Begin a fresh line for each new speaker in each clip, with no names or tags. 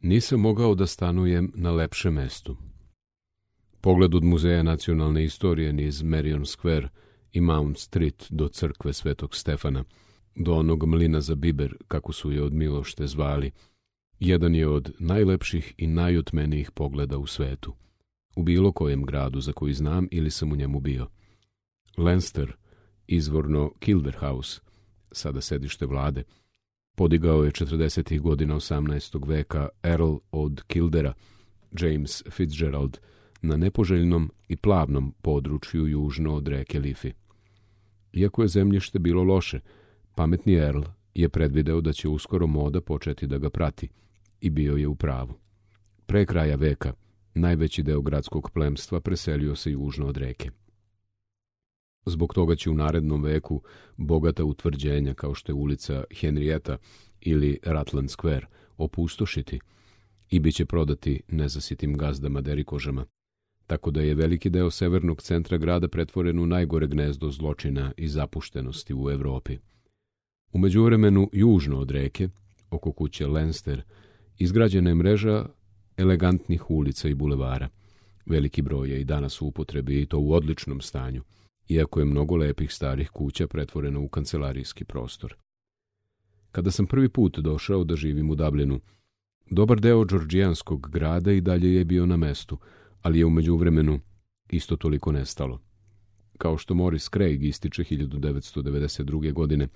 nisam mogao da stanujem na lepšem mestu. Pogled od Muzeja nacionalne istorije niz Marion Square i Mount Street do crkve Svetog Stefana, do onog mlina za biber, kako su je od Milošte zvali, jedan je od najlepših i najotmenijih pogleda u svetu, u bilo kojem gradu za koji znam ili sam u njemu bio. Leinster, izvorno Kilderhouse, sada sedište vlade, podigao je 40. godina 18. veka Earl od Kildera, James Fitzgerald, na nepoželjnom i plavnom području južno od reke Liffey. Iako je zemljište bilo loše, pametni Earl je predvideo da će uskoro moda početi da ga prati i bio je u pravu. Pre kraja veka najveći deo gradskog plemstva preselio se južno od reke. Zbog toga će u narednom veku bogata utvrđenja kao što je ulica Henrietta ili Rutland Square opustošiti i bit će prodati nezasitim gazdama derikožama, tako da je veliki deo severnog centra grada pretvoren u najgore gnezdo zločina i zapuštenosti u Evropi. U međuvremenu, južno od reke, oko kuće Leinster, izgrađena je mreža elegantnih ulica i bulevara. Veliki broj je i danas u upotrebi i to u odličnom stanju, iako je mnogo lepih starih kuća pretvoreno u kancelarijski prostor. Kada sam prvi put došao da živim u Dublinu, dobar deo džordžijanskog grada i dalje je bio na mestu, ali je u međuvremenu isto toliko nestalo. Kao što Maurice Craig ističe 1992. godine,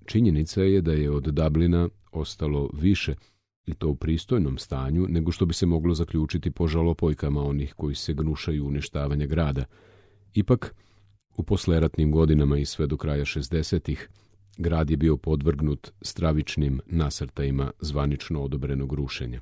činjenica je da je od Dublina ostalo više, i to u pristojnom stanju, nego što bi se moglo zaključiti po žalopojkama onih koji se gnušaju uništavanja grada. Ipak, u posleratnim godinama i sve do kraja 60-ih, grad je bio podvrgnut stravičnim nasrtajima zvanično odobrenog rušenja.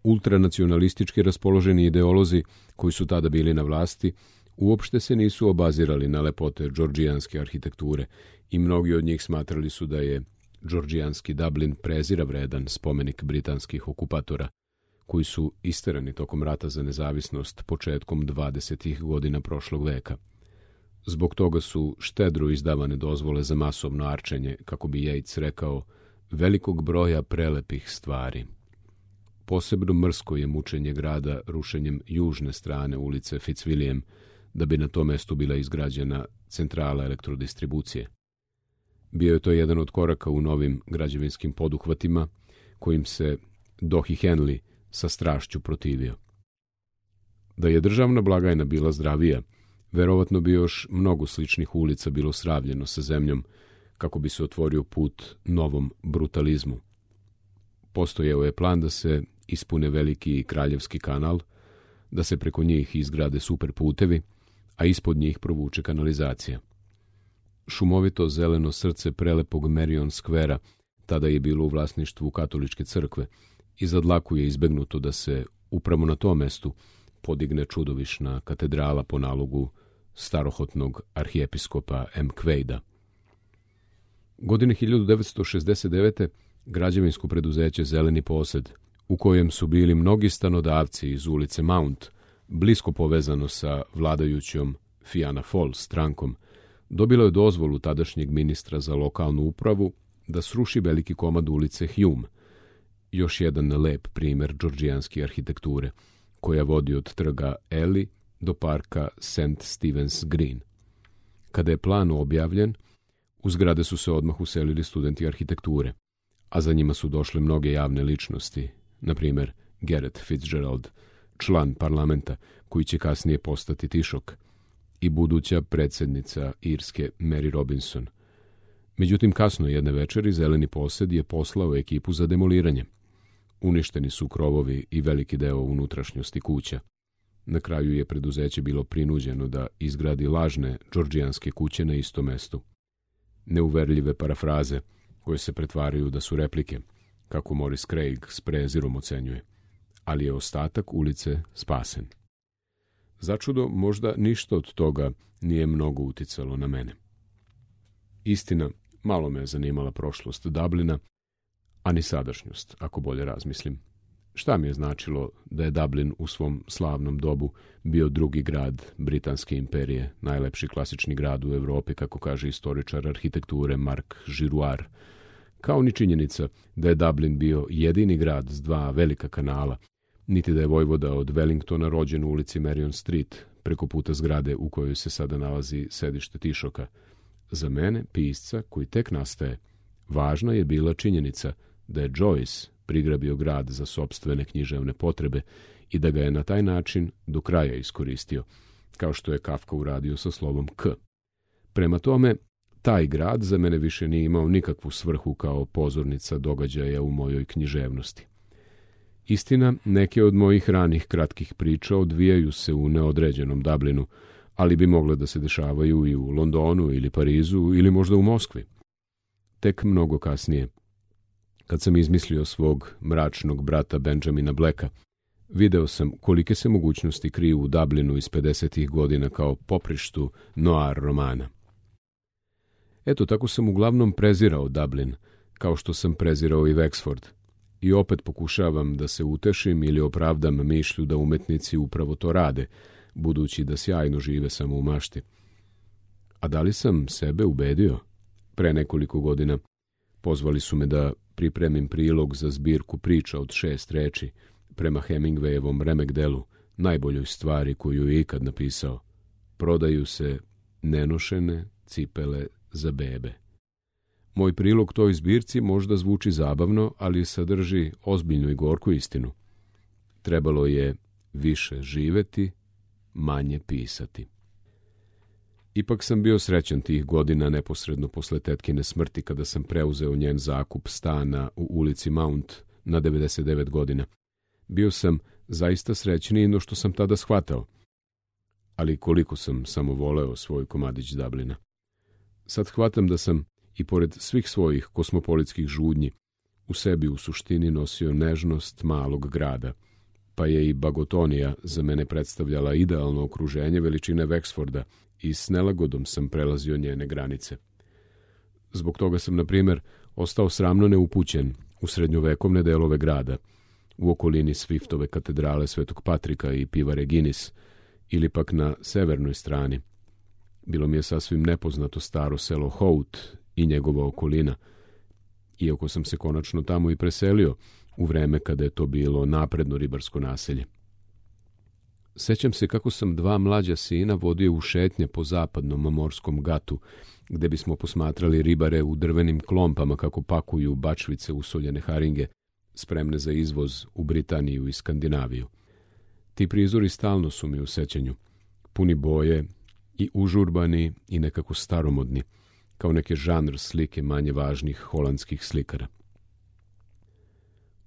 Ultranacionalistički raspoloženi ideolozi koji su tada bili na vlasti uopšte se nisu obazirali na lepote džordžijanske arhitekture i mnogi od njih smatrali su da je džordžijanski Dublin prezira vredan spomenik britanskih okupatora, koji su isterani tokom rata za nezavisnost početkom 20. godina prošlog veka. Zbog toga su štedro izdavane dozvole za masovno arčenje, kako bi Yeats rekao, velikog broja prelepih stvari. Posebno mrsko je mučenje grada rušenjem južne strane ulice Fitzwilliam, da bi na tom mestu bila izgrađena centrala elektrodistribucije. Bio je to jedan od koraka u novim građevinskim poduhvatima, kojim se Dohi Henley sa strašću protivio. Da je državna blagajna bila zdravija, verovatno bi još mnogo sličnih ulica bilo sravljeno sa zemljom, kako bi se otvorio put novom brutalizmu. Postojao je plan da se ispune veliki kraljevski kanal, da se preko njih izgrade superputevi, a ispod njih provuče kanalizacija. Šumovito zeleno srce prelepog Marion Squarea tada je bilo u vlasništvu katoličke crkve i za dlaku je izbegnuto da se upravo na tom mestu podigne čudovišna katedrala po nalogu starohotnog arhijepiskopa M. Quaida. Godine 1969. građevinsko preduzeće Zeleni posed, u kojem su bili mnogi stanodavci iz ulice Mount, blisko povezano sa vladajućom Fianna Fáil strankom, dobilo je dozvolu tadašnjeg ministra za lokalnu upravu da sruši veliki komad ulice Hume, još jedan lep primer džordžijanske arhitekture, koja vodi od trga Ely do parka St. Stephen's Green. Kada je plan objavljen, u zgrade su se odmah uselili studenti arhitekture, a za njima su došle mnoge javne ličnosti, na primjer Gareth Fitzgerald, član parlamenta koji će kasnije postati Taoiseach, i buduća predsjednica Irske Mary Robinson. Međutim, kasno jedne večeri Zeleni posed je poslao ekipu za demoliranje. Uništeni su krovovi i veliki deo unutrašnjosti kuća. Na kraju je preduzeće bilo prinuđeno da izgradi lažne džordžijanske kuće na istom mestu. Neuverljive parafraze koje se pretvaraju da su replike, kako Maurice Craig s prezirom ocenjuje, ali je ostatak ulice spasen. Začudo, možda ništa od toga nije mnogo uticalo na mene. Istina, malo me je zanimala prošlost Dublina, a ni sadašnjost, ako bolje razmislim. Šta mi je značilo da je Dublin u svom slavnom dobu bio drugi grad Britanske imperije, najlepši klasični grad u Evropi, kako kaže istoričar arhitekture Mark Girouard, kao ni činjenica da je Dublin bio jedini grad s 2 velika kanala, niti da je vojvoda od Wellingtona rođen u ulici Marion Street, preko puta zgrade u kojoj se sada nalazi sedište Tišoka. Za mene, pisca koji tek nastaje, važna je bila činjenica da je Joyce prigrabio grad za sopstvene književne potrebe i da ga je na taj način do kraja iskoristio, kao što je Kafka uradio sa slovom K. Prema tome, taj grad za mene više nije imao nikakvu svrhu kao pozornica događaja u mojoj književnosti. Istina, neke od mojih ranih kratkih priča odvijaju se u neodređenom Dublinu, ali bi mogle da se dešavaju i u Londonu ili Parizu ili možda u Moskvi. Tek mnogo kasnije, kad sam izmislio svog mračnog brata Benjamina Blacka, video sam kolike se mogućnosti kriju u Dublinu iz 50. godina kao poprištu noir romana. Eto, tako sam uglavnom prezirao Dublin, kao što sam prezirao i Wexford. I opet pokušavam da se utešim ili opravdam mišlju da umetnici upravo to rade, budući da sjajno žive samo u mašti. A da li sam sebe ubedio? Pre nekoliko godina pozvali su me da pripremim prilog za zbirku priča od 6 reči prema Hemingwayevom remek delu, najboljoj stvari koju je ikad napisao. Prodaju se nenošene cipele za bebe. Moj prilog toj zbirci možda zvuči zabavno, ali sadrži ozbiljnu i gorku istinu. Trebalo je više živeti, manje pisati. Ipak sam bio srećan tih godina neposredno posle tetkine smrti kada sam preuzeo njen zakup stana u ulici Mount na 99 godina. Bio sam zaista srećniji no što sam tada shvatao. Ali koliko sam samo voleo svoj komadić Dublina. Sad shvatam da sam, i pored svih svojih kosmopolitskih žudnji, u sebi u suštini nosio nežnost malog grada, pa je i Bagotonija za mene predstavljala idealno okruženje veličine Wexforda i s nelagodom sam prelazio njene granice. Zbog toga sam, na primjer, ostao sramno neupućen u srednjovekovne delove grada, u okolini Swiftove katedrale Svetog Patrika i pivare Guinness, ili pak na severnoj strani. Bilo mi je sasvim nepoznato staro selo Hout i njegova okolina, iako sam se konačno tamo i preselio u vreme kada je to bilo napredno ribarsko naselje. Sećam se kako sam 2 mlađa sina vodio u šetnje po zapadnom morskom gatu, gde bismo posmatrali ribare u drvenim klompama kako pakuju bačvice usoljene haringe, spremne za izvoz u Britaniju i Skandinaviju. Ti prizori stalno su mi u sećanju, puni boje i užurbani i nekako staromodni, kao neke žanr slike manje važnih holandskih slikara.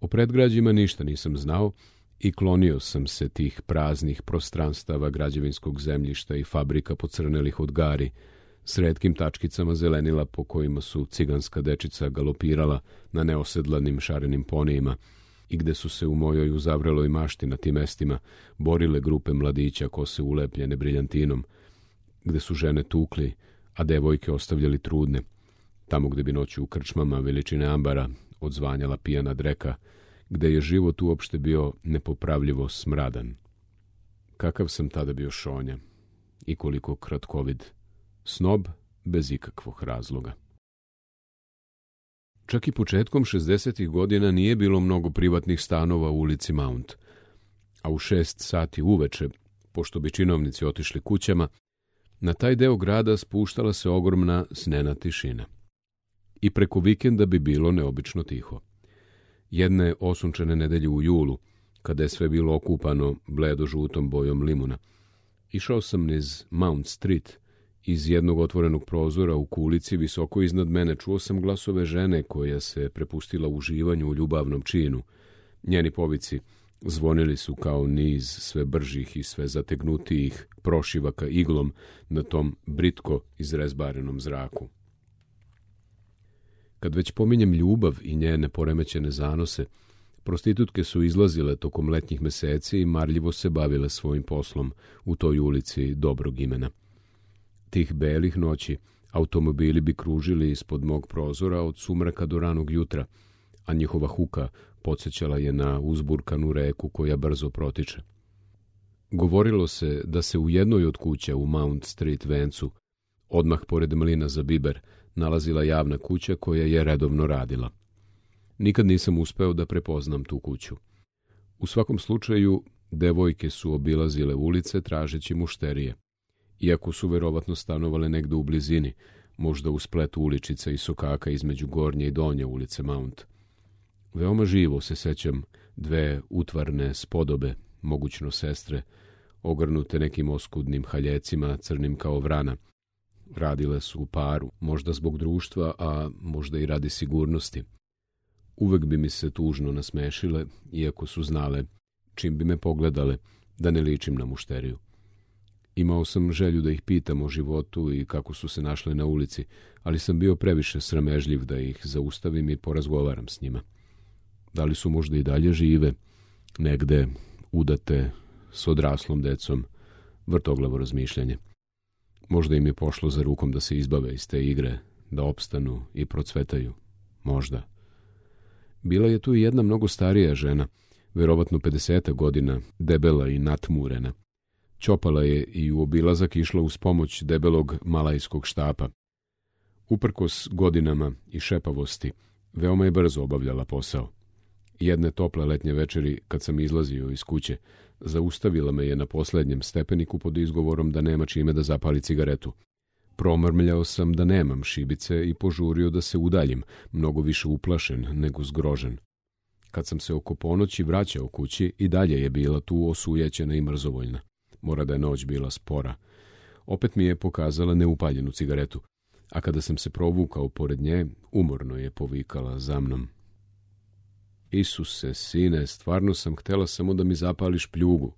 O predgrađima ništa nisam znao i klonio sam se tih praznih prostranstava građevinskog zemljišta i fabrika pocrnelih od gari, s retkim tačkicama zelenila po kojima su ciganska dečica galopirala na neosedlanim šarenim ponijima i gde su se u mojoj uzavreloj mašti na tim mestima borile grupe mladića kose ulepljene briljantinom, gde su žene tukli, a devojke ostavljali trudne, tamo gde bi noću u krčmama veličine ambara odzvanjala pijana dreka, gde je život uopšte bio nepopravljivo smradan. Kakav sam tada bio šonja i koliko kratkovid, snob bez ikakvog razloga. Čak i početkom 60. godina nije bilo mnogo privatnih stanova u ulici Mount, a u 6 sati uveče, pošto bi činovnici otišli kućama, na taj deo grada spuštala se ogromna snena tišina. I preko vikenda bi bilo neobično tiho. Jedne osunčane nedelje u julu, kada je sve bilo okupano bledo-žutom bojom limuna, išao sam niz Mount Street. Iz jednog otvorenog prozora u kulici visoko iznad mene čuo sam glasove žene koja se prepustila uživanju u ljubavnom činu. Njeni povici zvonili su kao niz sve bržih i sve zategnutijih prošivaka iglom na tom britko izrezbarenom zraku. Kad već pominjem ljubav i njene poremećene zanose, prostitutke su izlazile tokom letnjih meseci i marljivo se bavile svojim poslom u toj ulici dobrog imena. Tih belih noći automobili bi kružili ispod mog prozora od sumraka do ranog jutra, a njihova huka podsjećala je na uzburkanu reku koja brzo protiče. Govorilo se da se u jednoj od kuća u Mount Street vencu, odmah pored mlina za biber, nalazila javna kuća koja je redovno radila. Nikad nisam uspeo da prepoznam tu kuću. U svakom slučaju, devojke su obilazile ulice tražeći mušterije, iako su verovatno stanovale negde u blizini, možda u spletu uličica i sokaka između gornje i donje ulice Mount. Veoma živo se sećam dve utvarne spodobe, mogućno sestre, ogrnute nekim oskudnim haljecima, crnim kao vrana. Radile su u paru, možda zbog društva, a možda i radi sigurnosti. Uvek bi mi se tužno nasmešile, iako su znale, čim bi me pogledale, da ne ličim na mušteriju. Imao sam želju da ih pitam o životu i kako su se našle na ulici, ali sam bio previše sramežljiv da ih zaustavim i porazgovaram s njima. Da li su možda i dalje žive, negde udate, s odraslom decom, vrtoglavo razmišljanje. Možda im je pošlo za rukom da se izbave iz te igre, da opstanu i procvetaju. Možda. Bila je tu i jedna mnogo starija žena, verovatno 50 godina, debela i natmurena. Ćopala je i u obilazak išla uz pomoć debelog malajskog štapa. Uprkos godinama i šepavosti, veoma je brzo obavljala posao. Jedne tople letnje večeri, kad sam izlazio iz kuće, zaustavila me je na poslednjem stepeniku pod izgovorom da nema čime da zapali cigaretu. Promrmljao sam da nemam šibice i požurio da se udaljim, mnogo više uplašen nego zgrožen. Kad sam se oko ponoći vraćao kući, i dalje je bila tu osujećena i mrzovoljna. Mora da je noć bila spora. Opet mi je pokazala neupaljenu cigaretu, a kada sam se provukao pored nje, umorno je povikala za mnom. Isuse, sine, stvarno sam htela samo da mi zapališ pljugu.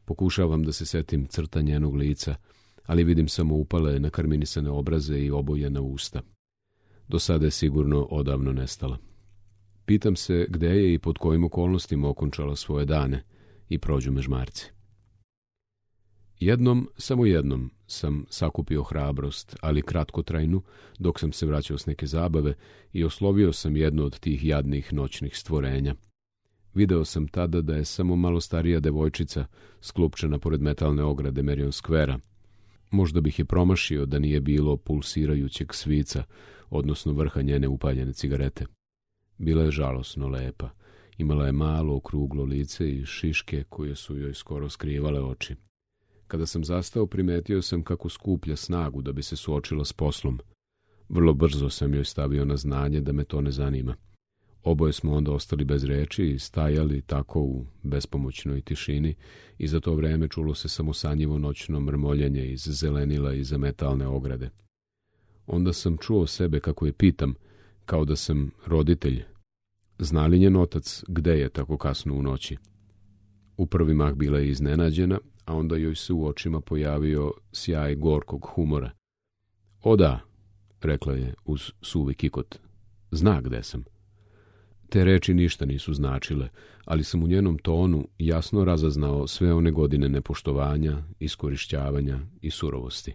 Pokušavam da se setim crta njenog lica, ali vidim samo upale nakarminisane obraze i obojena usta. Do sada je sigurno odavno nestala. Pitam se gde je i pod kojim okolnostima okončala svoje dane i prođu me žmarci. Samo jednom sam sakupio hrabrost, ali kratkotrajnu, dok sam se vraćao s neke zabave i oslovio sam jedno od tih jadnih noćnih stvorenja. Video sam tada da je samo malo starija devojčica sklupčena pored metalne ograde Marion Squarea. Možda bih je promašio da nije bilo pulsirajućeg svica, odnosno vrha njene upaljene cigarete. Bila je žalosno lepa. Imala je malo okruglo lice i šiške koje su joj skoro skrivale oči. Kada sam zastao, primetio sam kako skuplja snagu da bi se suočila s poslom. Vrlo brzo sam joj stavio na znanje da me to ne zanima. Oboje smo onda ostali bez reči i stajali tako u bespomoćnoj tišini i za to vreme čulo se samo sanjivo noćno mrmoljenje iz zelenila iza metalne ograde. Onda sam čuo sebe kako je pitam, kao da sam roditelj. Zna li njen otac gde je tako kasno u noći? U prvi mah bila je iznenađena, a onda joj se u očima pojavio sjaj gorkog humora. O da, rekla je uz suvi kikot, zna gde sam. Te reči ništa nisu značile, ali sam u njenom tonu jasno razaznao sve one godine nepoštovanja, iskorišćavanja i surovosti.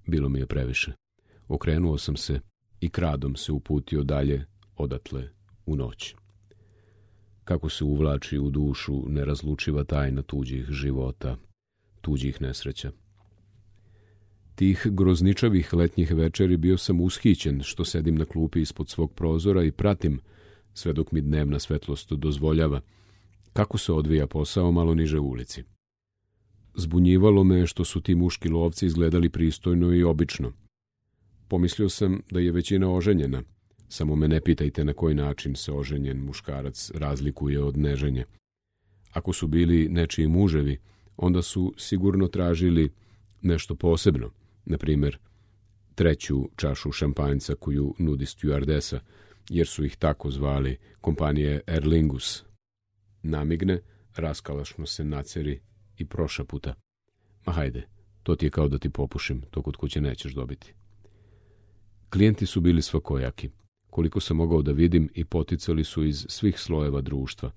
Bilo mi je previše. Okrenuo sam se i kradom se uputio dalje odatle u noć. Kako se uvlači u dušu nerazlučiva tajna tuđih života, tuđih nesreća. Tih grozničavih letnjih večeri bio sam ushićen što sedim na klupi ispod svog prozora i pratim, sve dok mi dnevna svetlost dozvoljava, kako se odvija posao malo niže u ulici. Zbunjivalo me što su ti muški lovci izgledali pristojno i obično. Pomislio sam da je većina oženjena, samo me ne pitajte na koji način se oženjen muškarac razlikuje od neženje. Ako su bili nečiji muževi, onda su sigurno tražili nešto posebno, na primjer, 3. čašu šampanjca koju nudi stjuardesa, jer su ih tako zvali kompanije Aer Lingus. Namigne, raskalašno se naceri i prošaputa. Ma hajde, to ti je kao da ti popušim, to kod kuće nećeš dobiti. Klijenti su bili svakojaki. Koliko sam mogao da vidim i poticali su iz svih slojeva društva.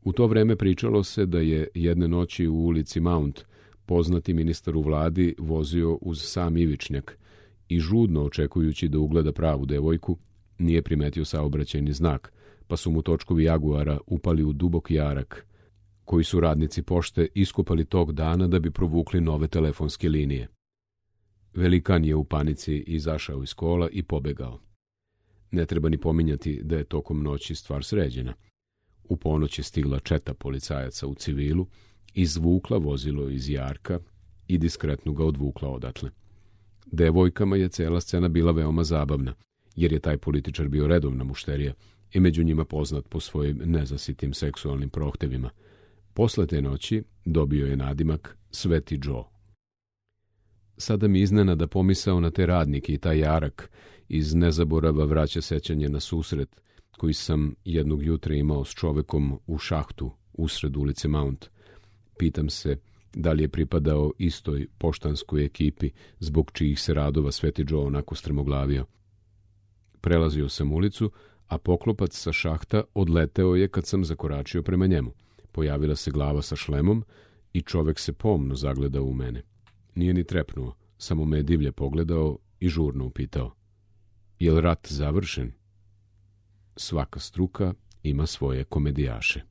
U to vreme pričalo se da je jedne noći u ulici Mount poznati ministar u vladi vozio uz sam ivičnjak i žudno očekujući da ugleda pravu devojku, nije primetio saobraćajni znak, pa su mu točkovi Jaguara upali u dubok jarak, koji su radnici pošte iskopali tog dana da bi provukli nove telefonske linije. Velikan je u panici izašao iz kola i pobegao. Ne treba ni pominjati da je tokom noći stvar sređena. U ponoć je stigla četa policajaca u civilu, izvukla vozilo iz jarka i diskretno ga odvukla odatle. Devojkama je cela scena bila veoma zabavna, jer je taj političar bio redovna mušterija i među njima poznat po svojim nezasitim seksualnim prohtevima. Posle te noći dobio je nadimak Sveti Joe. Sada mi iznenada pomisao na te radnike i taj jarak iz nezaborava vraća sećanje na susret koji sam jednog jutra imao s čovekom u šahtu usred ulice Mount. Pitam se da li je pripadao istoj poštanskoj ekipi zbog čijih se radova Sveti Joe onako strmoglavio. Prelazio sam ulicu, a poklopac sa šahta odleteo je kad sam zakoračio prema njemu. Pojavila se glava sa šlemom i čovek se pomno zagledao u mene. Nije ni trepnuo, samo me je divlje pogledao i žurno upitao: "Jel rat završen?" Svaka struka ima svoje komedijaše.